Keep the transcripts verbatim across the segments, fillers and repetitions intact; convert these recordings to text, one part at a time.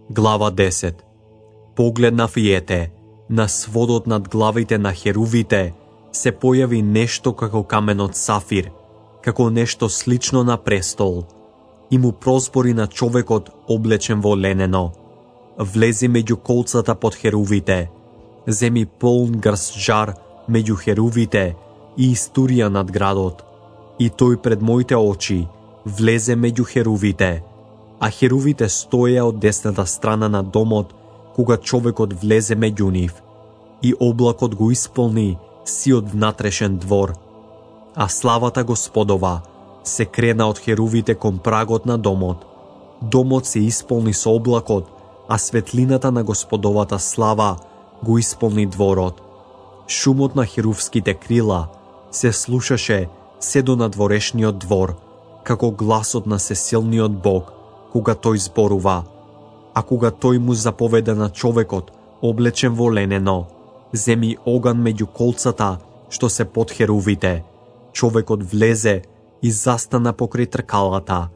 Глава десет. Погледнав и ете, на сводот над главите на херувите се појави нешто како каменот сафир, како нешто слично на престол, и му прозбори на човекот облечен во ленено. Влези меѓу колцата под херувите, земи полн грст жар меѓу херувите и истурија над градот, и тој пред моите очи влезе меѓу херувите, а херувите стоеа од десната страна на домот кога човекот влезе меѓу нив, и облакот го исполни сиот внатрешен двор. А славата Господова се крена од херувите кон прагот на домот. Домот се исполни со облакот, а светлината на Господовата слава го исполни дворот. Шумот на херувските крила се слушаше се до надворешниот двор, како гласот на сесилниот Бог, кога тој зборува. А кога тој му заповеда на човекот, облечен во ленено, земи оган меѓу колцата што се под херувите, човекот влезе и застана покрај тркалата.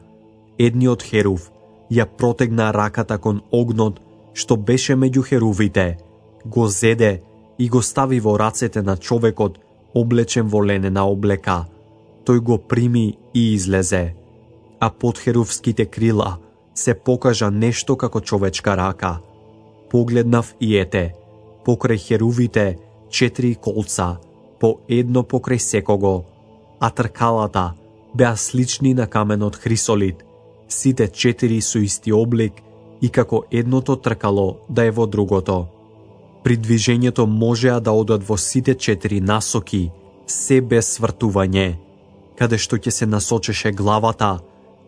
Едниот херув ја протегна раката кон огнот што беше меѓу херувите, го зеде и го стави во рацете на човекот облечен во ленена облека. Тој го прими и излезе. А под херувските крила се покажа нешто како човечка рака. Погледнав и ете, покрај херувите четири колца, по едно покрај секого, а тркалата беа слични на каменот хрисолит, сите четири со исти облик и како едното тркало да е во другото. При движењето можеа да одат во сите четири насоки, се без свртување. Каде што ќе се насочеше главата,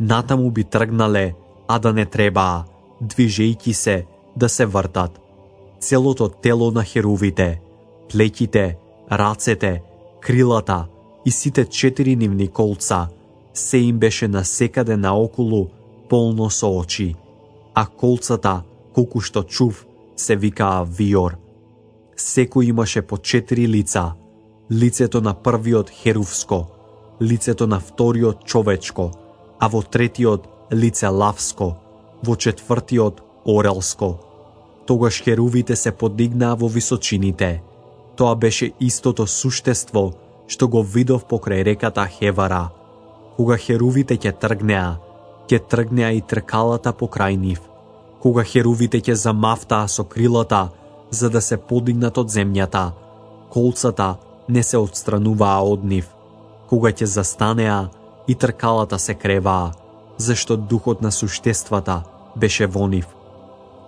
натаму би тргнале, а да не требаа, движејќи се да се вртат. Целото тело на херувите, плеќите, рацете, крилата и сите четири нивни колца, се им беше насекаде наоколу полно со очи, а колцата, колку што чув, се викаа виор. Секој имаше по четири лица, лицето на првиот херувско, лицето на вториот човечко, а во третиот лице лавско, во четвртиот орелско. Тогаш херувите се подигнаа во височините. Тоа беше истото суштество што го видов покрај реката Хевара. Кога херувите ќе тргнеа, ќе тргнеа и тркалата покрај нив. Кога херувите ќе замавтаа со крилата, за да се подигнат од земјата, колцата не се отстрануваа од нив. Кога ќе застанеа, и тркалата се креваа, зашто духот на суштествата беше во нив.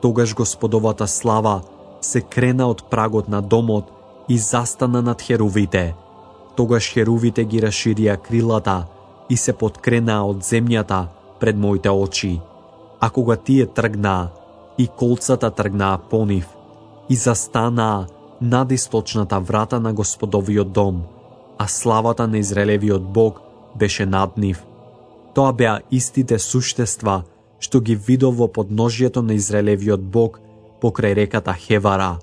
Тогаш Господовата слава се крена од прагот на домот и застана над херувите. Тогаш херувите ги расширија крилата и се подкренаа од земјата пред моите очи. А кога тие тргнаа, и колцата тргнаа по нив, и застанаа над источната врата на Господовиот дом, а славата на Израелевиот Бог беше над нив. Тоа беа истите суштества што ги видов во подножјето на Израелевиот Бог покрај реката Хевара.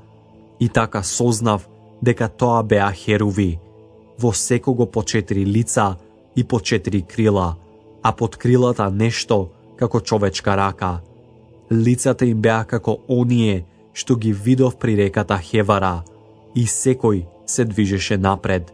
И така сознав дека тоа беа херуви, во секого по четири лица и по четири крила, а под крилата нешто како човечка рака. Лицата им беа како оние што ги видов при реката Хевара, и секој се движеше напред.